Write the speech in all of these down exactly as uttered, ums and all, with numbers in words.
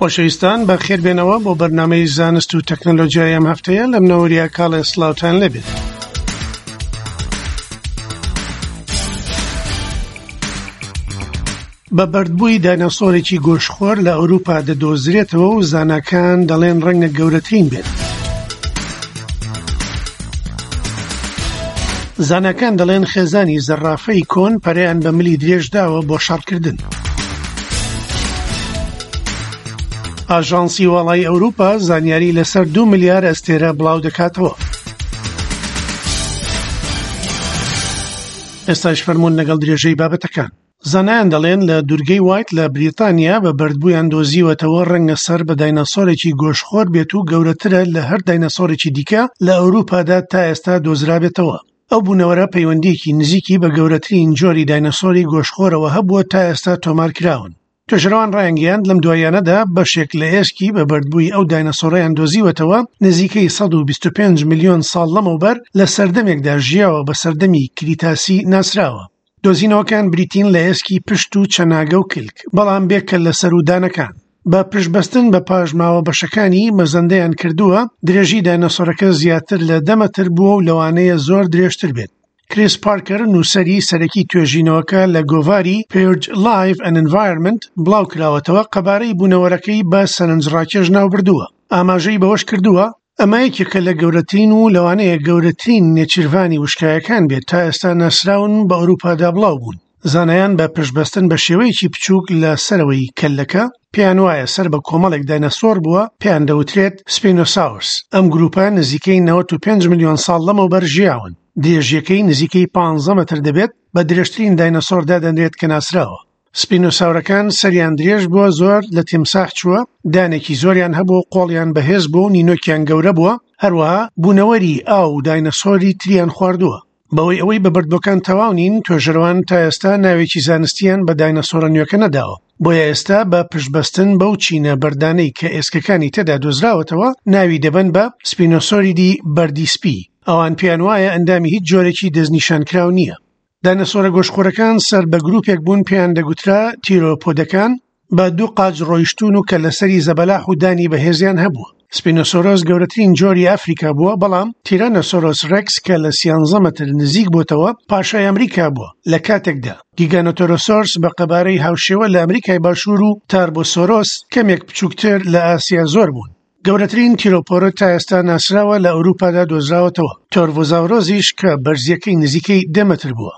خۆشەویستان بەخێربێنەوە بۆ بەرنامەی زانست و تەکنەلۆژیای ئەم هەفتەیە. لەم نەوەریا کاڵێ سڵاوتان لێبێت. بە بەردبووی دایناسۆرێکی گۆشتخۆر لە ئەوروپا دەدۆزرێتەوە و زاناکان دەڵێن ڕەنگە گەورەترین بێت. زاناکان دەڵێن خێزانی زەڕافەی کۆن پەرەیان بە ملی درێژ داوە بۆ شەڕکردن. ئاژانسی واڵای ئەوروپا زانیاری لەسەر دوو ملیار ئەستێرە بڵاو دەکاتەوە. ئێستاش فەرمونون لەگەڵ درێژەی بابەتەکان. زانایان دەڵێن لە دوورگەی وایت لە بریتانیا بە بەردبوویان دۆزیوەتەوە ڕەنگە سەر بە دایناسۆرێکی گۆشتخۆر بێت و گەورەترە لە هەر دایناسۆرێکی دیکە لە ئەوروپادا تا ئێستا دۆزرابێتەوە. ئەو بوونەوەرە پەیوەندیەکی نزیکی بە گەورەترین جۆری دایناسۆری گۆشتخۆرەوە هەبووە تا ئێستا تۆمار کراون. توێژەرەوان ڕایانگەیاند لەم دواییانەدا بەشێک لە ئێسکی بە بەردبووی ئەو دایناسۆرەیان دۆزیوەتەوە نزیکەی سەد و بیست و پێنج ملیۆن ساڵ لەمەوبەر لە سەردەمێکدا ژیاوە بە سەردەمی کریتاسی ناسراوە. دۆزینەوەکان بریتین لە ئێسکی پشت و چەناگە و کلک، بەڵام بێکە لە سەرودانەکان. بە پشتبەستن بە پاشماوە بەشەکانی مەزەندەیان کردووە درێژی دایناسۆرەکە زیاتر لە دە مەتر بووە و لەوانەیە زۆر درێژتر بێت. کریس پارکەر نووسەری سەرەکی توێژینەوەکە لە گۆڤاری Purge Life and Environment بڵاو کراوەتەوە قەبارەی بوونەوەرەکەی بە سەرنجڕاکێش ناوبردووە. ئاماژەی بەوەش کردووە ئەمە یەکێکە لە گەورەترین و لەوانەیە گەورەترین نێچیرڤانی وشکایەکان بێت تا ئێستا ناسراون بە ئەوروپادا بڵاو بوون. زانایان بە پشتبەستن بە شێوەیەکی بچووک لە سەرەوەی کەلەکە پێیان وایە سەر بە کۆمەڵێک دایناسۆر بووە، پێیان دەوترێت سپینۆساورس. ئەم گروپە نزیکەی نەوەت و پێنج ملیۆن ساڵ لەمەوبەر ژیاون. درێژیەکەی نزیکەی پانزە مەتر دەبێت، بە درێژترین دایناسۆر دادەنرێت کە ناسراوە. سپینۆساورەکان سەریان درێژ بووە، زۆر لە تیمساح چووە، دانێکی زۆریان هەبوو، قۆڵیان بەهێز بوو و نینۆکیان گەورە بووە، هەروەها بوونەوەری ئاو و دایناسۆری تریان خواردووە. بەوەی ئەوەی بە بەردبووەکان تەواو نین، توێژەرەوان تا ئێستا ناوێکی زانستیان بە دایناسۆرە نوێکە نەداوە. بۆیە ئێستا بە پشتبەستن بەو چینە بەردانەی کە ئێسکەکانی تێدا دۆزراوەتەوە ناوی دەبەن بە سپینۆسۆریدی بەردی سپی. ئەوان پێیان وایە ئەندامی هیچ جۆرێکی دەستنیشانکراو نییە. دایناسۆرە گۆشتخۆرەکان سەر بە گروپێک بوون پێیان دەگوترا تیرۆپۆدەکان، بە دوو قاچ ڕۆیشتون و کە لەسەری زەبەلاح و دانی بەهێزیان هەبووە. سپینۆسۆرۆس گەورەترین جۆری ئەفریکا بووە، بەڵام تیرانۆسۆرۆس ڕێکس کە لە سیانزە مەتر نزیک بۆتەوە پاشای ئەمریکا بووە. لە کاتێکدا گیگانۆتۆرۆسۆرس بە قەبارەی هاوشێوە لە ئەمریکای باشوور و تاربۆسۆرۆس کەمێک بچووکتر لە ئاسیا زۆر بوون. گەورەترین تیرۆپۆرە تا ئێستا ناسراوە لە ئەوروپادا دۆزراوەتەوە، تۆرڤۆزاورۆزیش کە بەرزیەکەی نزیکەی دە مەتر بووە.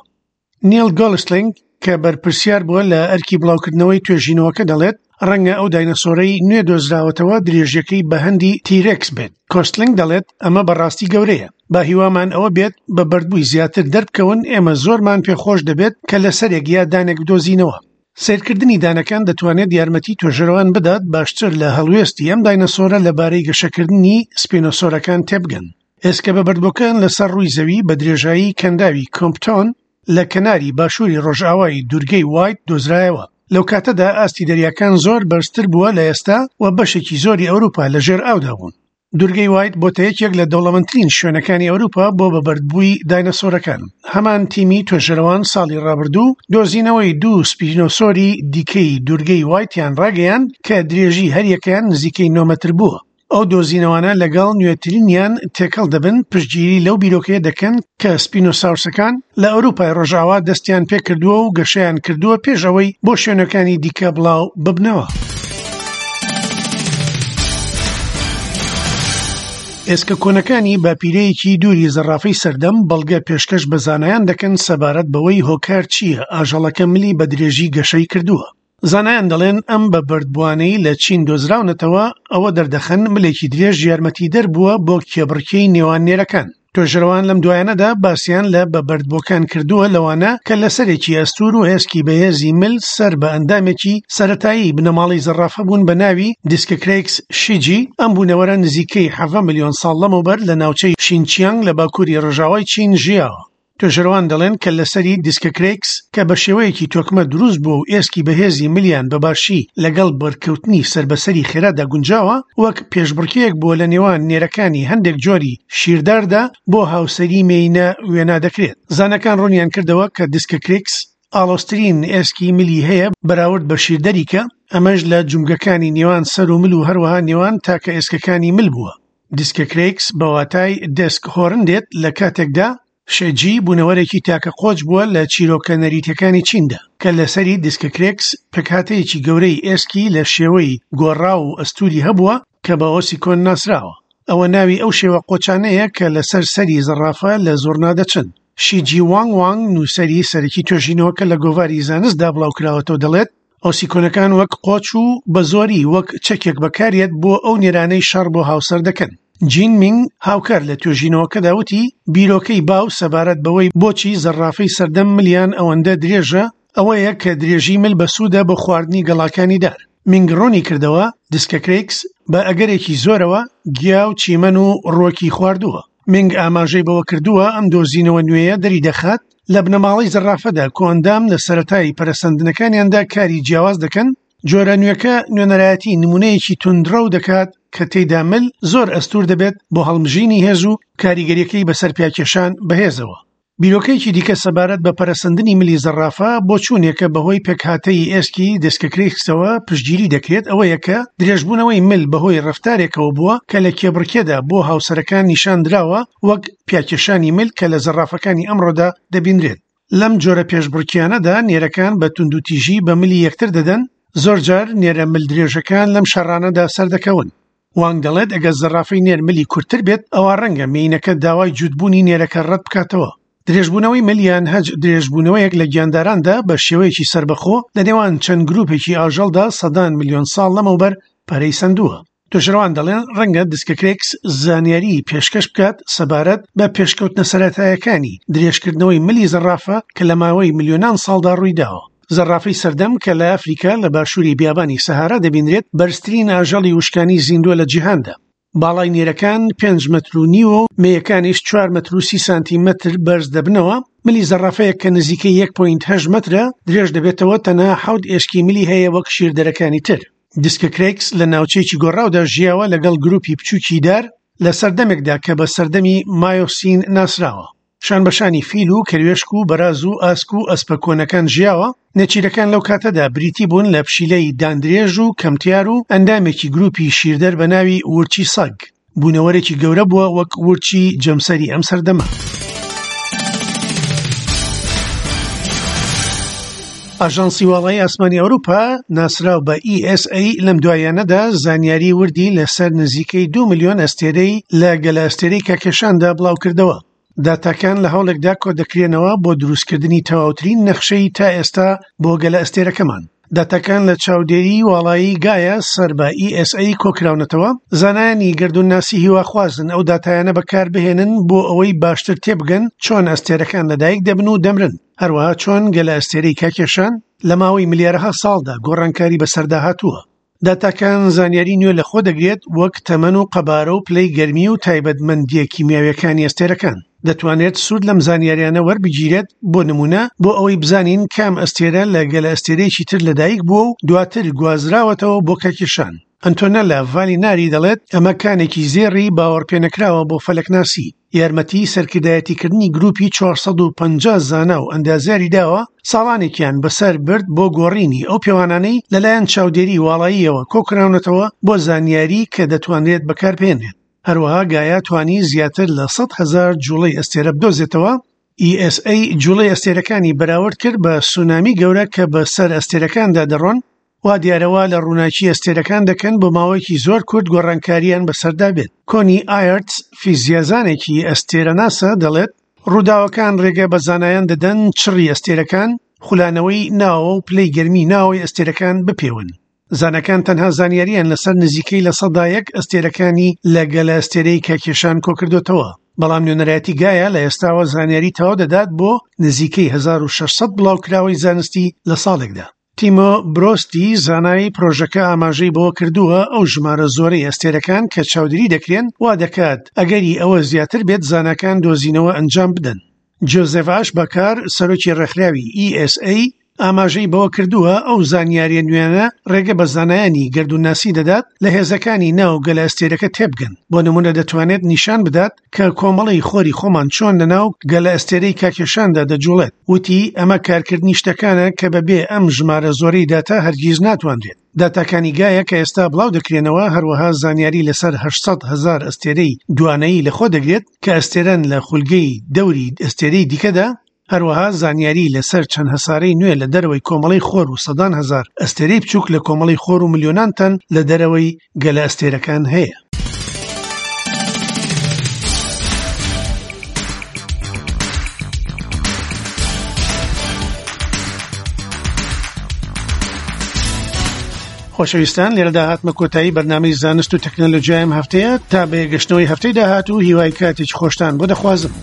نیل گۆڵستلینگ کە بەرپرسیار بووە لە ئەرکی بڵاوکردنەوەی توێژینەوەکە دەڵێت ڕەنگە ئەو دایناسۆرەی نوێ دۆزراوەتەوە درێژیەکەی بە هەندی تیرێکس بێت. کۆستلینگ دەڵێت ئەمە بەڕاستی گەورەیە، با هیوامان ئەوە بێت بە بەردبووی زیاتر دەربکەون، ئێمە زۆرمان پێخۆش دەبێت کە لەسەرێک یا دانێک بدۆزینەوە. سەیرکردنی دانەکان دەتوانێت یارمەتی توێژەرەوان بدات باشتر لە هەڵوێستی ئەم دایناسۆرە لەبارەی گەشەکردنی سپینۆسۆرەکان تێبگەن. ئێسکە بە بەردبووەکان لەسەر ڕووی زەوی بە درێژایی کەنداوی کۆمپتۆن لە کەناری باشووری ڕۆژئاوای دوورگەی وایت دۆزرایەوە. لەو کاتەدا ئاستی دەریاکان زۆر بەرزتر بووە لە ئێستا و بەشێکی زۆری ئەوروپا لەژێر ئاودا بوون. دوورگەی وایت بۆتە یەکێک لە دەوڵەمەندترین شوێنەکانی ئەوروپا بۆ بەبەردبووی دایناسۆرەکان. هەمان تیمی توێژەرەوان ساڵی ڕابردوو دۆزینەوەی دوو سپینۆسۆری دیکەی دوورگەی وایتیان ڕاگەیاند کە درێژی هەریەکەیان نزیکەی نۆ مەتر بووە. ئەو دۆزینەوانە لەگەڵ نوێترینیان تێکەڵ دەبن پشتگیری لەو بیرۆکەیە دەکەن کە سپینۆساورسەکان لە ئەوروپای ڕۆژاوا دەستیان پێکردووە و گەشەیان کردووە پێش ئەوەی بۆ شوێنەکانی دیکە بڵاو ببنەوە. ئێسکە کۆنەکانی باپیرەیەکی دووری زەڕافەی سەردەم بەڵگە پێشکەش بە زانایان دەکەن سەبارەت بەوەی هۆکار چییە ئاژەڵەکە ملی بە درێژی گەشەی کردووە. زانایان دەڵێن ئەم بە بەردبووانەی لە چین دۆزراونەتەوە ئەوە دەردەخەن ملێکی درێژ یارمەتیدەر بووە بۆ کێبڕکێی نێوان نێرەکان. توێژەرەوان لەم دوایانەدا باسییان لە بە بەردبووەکان کردووە لەوانە کە لەسەرێکی ئەستور و ئێسکی بەهێزی مل سەر بە ئەندامێکی سەتایی بنەماڵەی زەڕافە بوون بە ناوی دیسکەکرێکس شیجی. ئەم بوونەوەرە نزیکەی حەڤە ملیۆن ساڵ لەمەوبەر لە ناوچەی شینچیانگ لە باکووری ڕۆژاوای چین ژیاوە. توێژەرەوان دەڵێن کە لەسەری دیسکەکرێکس کە بە شێوەیەکی تۆکمە دروست بووە و ئێسکی بەهێزی ملیان بەباشی لەگەڵ بەرکەوتنی سەربەسەری خێرادا گونجاوە، وەک پێشبڕکێیەک بووە لە نێوان نێرەکانی هەندێک جۆری شیرداردا بۆ هاوسەری مێینە وێنا دەکرێت. زانەکان ڕوونیان کردەوە کە دیسکەکرێکس ئاڵۆزترین ئێسکی ملی هەیە بەراورد بە شیردەریکە، ئەمەش لە جومگەکانی نێوان سەر و مل و هەروەها نێوان تاکە ئێسکەکانی مل بووە. دیسکەکرێکس بە واتای دێسک هۆرن دێت، لە کاتێکدا شێجی بوونەوەرێکی تاکە قۆچ بووە لە چیرۆکە نەریتەکانی چیندا کە لەسەری دیسکەکرێکس پێکهاتەیەکی گەورەی ئێسکی لە شێوەی گۆڕاو و ئەستوری هەبووە کە بە ئۆسیکۆن ناسراوە. ئەوە ناوی ئەو شێوە قۆچانەیە کە لەسەر سەری زەڕافە لە زۆرنا دەچن. شیجی وانگ وانگ نووسەری سەرەکی توێژینەوەکە لە گۆڤاری زانستدا بڵاوکراوەتەوە دەڵێت ئۆسیکۆنەکان وەک قۆچ و بە زۆری وەک چەکێک بەکارێت بۆ ئەو نێرانەی شەڕ بۆ هاوسەر دەکەن. جین مینگ هاوکار لە توێژینەوەکەدا وتی بیرۆکەی باو سەبارەت بەوەی بۆچی زەڕافەی سەردەم ملیان ئەوەندە درێژە ئەوەیە کە درێژی مل بەسوودە بۆ خواردنی گەڵاکانی دار. مینگ ڕوونی کردەوە دیسکەکرێکس بە ئەگەرێکی زۆرەوە گیا و چیمەن و ڕووەکی خواردووە. مینگ ئاماژەی بەوە کردووە ئەم دۆزینەوە نوێیە دەری دەخات لە بنەماڵەی زەڕافەدا کۆئەندام لە سەرەتای پەرەسەندنەکانیاندا کاری جیاواز دەکەن. جۆرە نوێکە نوێنەرایەتی نمونەیەکی توندڕەو دەکات کە تێیدا مل زۆر ئەستور دەبێت بۆ هەڵمژینی هێز و کاریگەریەکەی بەسەر پیاکێشان بەهێزەوە. بیرۆکەیەکی دیکە سەبارەت بە پەرەسەندنی ملی زەڕافە بۆچوونێکە بەهۆی پێکهاتەی ئێسکی دێسکەکرێکسەوە پشتگیری دەکرێت، ئەوەیە کە درێژبوونەوەی مل بەهۆی ڕەفتارێکەوە بووە کە لە کێبڕکێدا بۆ هاوسەرەکان نیشان دراوە، وەک پیاکێشانی مل کە لە زەڕافەکانی ئەمڕۆدا دەبینرێت. لەم جۆرە پێشبڕکیانەدا نێرەکان بە توندوتیژی بە ملی یەکتر دەدەن، زۆرجار نێرە مل درێژەکان لەم شەڕانەدا سەردەکەون. وانگ دەڵێت ئەگەر زەڕافەی نێر ملی کورتتر بێت ئەوە ڕەنگە مێینەکە داوای جووتبوونی نێرەکە ڕەت بکاتەوە. درێژبوونەوەی مل یان هەج درێژبوونەوەیەک لە گیانداراندا بە شێوەیەکی سەربەخۆ لە نێوان چەند گروپێکی ئاژەڵدا سەدان ملیۆن ساڵ لەمەوبەر پەرەی سەندووە. توێژەرەوان دەڵێن ڕەنگە دیسکەکرێکس زانیاری پێشکەش بکات سەبارەت بە پێشکەوتنە سەرەتایەکانی درێژکردنەوەی ملی زەڕافە کە لە ماوەی ملیۆنان ساڵدا ڕوویداوە. زەڕافەی سەردەم کە لە ئەفریکا لە باشووری بیابانی سەهارا دەبینرێت بەرزترین ئاژەڵی وشکانی زیندووە لە جیهاندا. باڵای نێرەکان پێنج مەتر و نیوە و مێیەکانیش چوار مەتر و سی سانتیمەتر بەرز دەبنەوە. ملی زەڕافەیەک کە نزیکەی یەک پۆینت هەشت مەترە درێژ دەبێتەوە، تەنها حەوت ئێسکی ملی هەیە وەک شیردەرەکانی تر. دیسکەکرێکس لە ناوچەیەکی گۆڕاودا ژیاوە لەگەڵ گروپی بچووکی دار لە سەردەمێکدا کە بە سەردەمی مایۆسین ناسراوە. شانبەشانی فیل و کەروێشک و بەراز و ئاسک و ئەسپە کۆنەکان ژیاوە. نێچیرەکان لەو کاتەدا بریتی بوون لە پشیلەی داندرێژ و کەمتیار و ئەندامێکی گروپی شیردەر بە ناوی ورچی سەگ. بوونەوەرێکی گەورە بووە وەک ورچی جەمسەری ئەم سەردەمە. ئاژانسی واڵایی ئاسمانی ئەوروپا ناسراو بە ئی ئێس ئەی لەم دوایانەدا زانیاری وردی لەسەر نزیکەی دوو ملیۆن ئەستێرەی لە گەلە ئەستێرەی کاکێشاندا بڵاوکردەوە. داتاکان لە هەوڵێکدا کۆ دەکرێنەوە بۆ دروستکردنی تەواوترین نەخشەی تا ئێستا بۆ گەلە ئەستێرەکەمان. داتاکان لە چاودێری واڵایی گایا سەر بە ئی ئێس ئەی کۆکراونەتەوە. زانایانی گەردوونناسی هیواخوازن ئەو داتایانە بەکاربهێنن بۆ ئەوەی باشتر تێبگەن چۆن ئەستێرەکان لەدایک دەبن و دەمرن، هەروەها چۆن گەلە ئەستێرەی کاکێشان لە ماوەی ملیارەها ساڵدا گۆڕانکاری بەسەردا هاتووە. داتاکان زانیاری نوێ لەخۆ دەگرێت وەک تەمەن و قەبارە و پلەی گەرمی و تایبەتمەندیە کیمیاویەکانی ئەستێرەکان. دەتوانێت سوود لەم زانیاریانە وەربگیرێت بۆ نمونە بۆ ئەوەی بزانین کام ئەستێرە لە گەلە ئەستێرەیەکی تر لەدایک بووە و دواتر گوازراوەتەوە بۆ کاکێشان. ئەنتۆنەلا ڤالیناری دەڵێت ئەمە کانێکی زێڕی باوەڕپێنەکراوە بۆ فەلەکناسی. یارمەتی سەرکردایەتیکردنی گروپی چوار سەد و پەنجا زانا و ئەندازیاری داوە ساڵانێکیان بەسەر برد بۆ گۆڕینی ئەو پێوانانەی لەلایەن چاودێری واڵاییەوە کۆکراونەتەوە بۆ زانیاری کە دەتوانرێت بەکاربهێنرێت. هەروەها گایا توانی زیاتر لە سەد هەزار جوڵەی ئەستێرە بدۆزێتەوە. ئی ئێس ئەی جوڵەی ئەستێرەکانی بەراورد کرد بە سونامی گەورە کە بە سەر ئەستێرەکاندا دەڕۆن، وا دیارەوە لە ڕووناکی ئەستێرەکان دەکەن بۆ ماوەیەکی زۆر کورت گۆڕانکاریان بەسەردا بێت. کۆنی ئایرتس فیزیازانێکی ئەستێرەناسە دەڵێت ڕووداوەکان ڕێگە بە زانایان دەدەن چڕی ئەستێرەکان، خولانەوەی ناوە و پلەی گەرمی ناوەی ئەستێرەکان بپێون. زانەکان تەنها زانیاریان لەسەر نزیکەی لە سەدا یەک ئەستێرەکانی لە گەلە ئەستێرەی کاکێشان کۆکردوتەوە، بەڵام نوێنەرایەتی گایا لە ئێستاوە زانیاری تەواو دەدات بۆ نزیکەی هەزار و شەش سەد بڵاوکراوەی زانستی لە ساڵێکدا. تیمۆ برۆستی زانای پرۆژەکە ئاماژەی بەوە کردووە ئەو ژمارە زۆرەی ئەستێرەکان کە چاودێری دەکرێن وا دەکات ئەگەری ئەوە زیاتر بێت زاناکان دۆزینەوە ئەنجام بدەن. جۆزێف ئاشبەکار سەرۆکی ڕێکخراوی ئی ئێس ئەی ئاماژەی بەوە کردووە ئەو زانیاریە نوێیانە ڕێگە بە زانایانی گەردوونناسی دەدات لە هێزەکانی ناو گەلەئەستێرەکە تێبگەن. بۆ نمونە دەتوانێت نیشان بدات کە کۆمەڵەی خۆری خۆمان چۆن لەناو گەلەئەستێرەی کاکێشاندا دەجوڵێت. وتی ئەمە کارکردنی شتەکانە کە بەبێ ئەم ژمارە زۆرەی داتا هەرگیز ناتوانرێت. داتاکانی گایا کە ئێستا بڵاو دەکرێنەوە هەروەها زانیاری لەسەر هەشت سەد هەزار ئەستێرەی دوانەیی لەخۆ دەگرێت کە ئەستێرەن لە خولگەی دەوری ئەستێرەی دیکەدا، هەروەها زانیاری لەسەر چەند هەسارەی نوێ لە دەرەوەی کۆمەڵەی خۆر و سەدان هەزار ئەستێرەی بچووک لە کۆمەڵەی خۆر و ملیۆنان تەن لە دەرەوەی گەلە ئەستێرەکان هەیە. خۆشەویستان لێرەدا هاتمە کۆتایی بەرنامەی زانست و تەکنەلۆژیایم هەفتەیە تا بەیەگەشتنەوەی هەفتەی داهاتوو هیوای کاتێکی خۆشتان بۆ دەخوازم.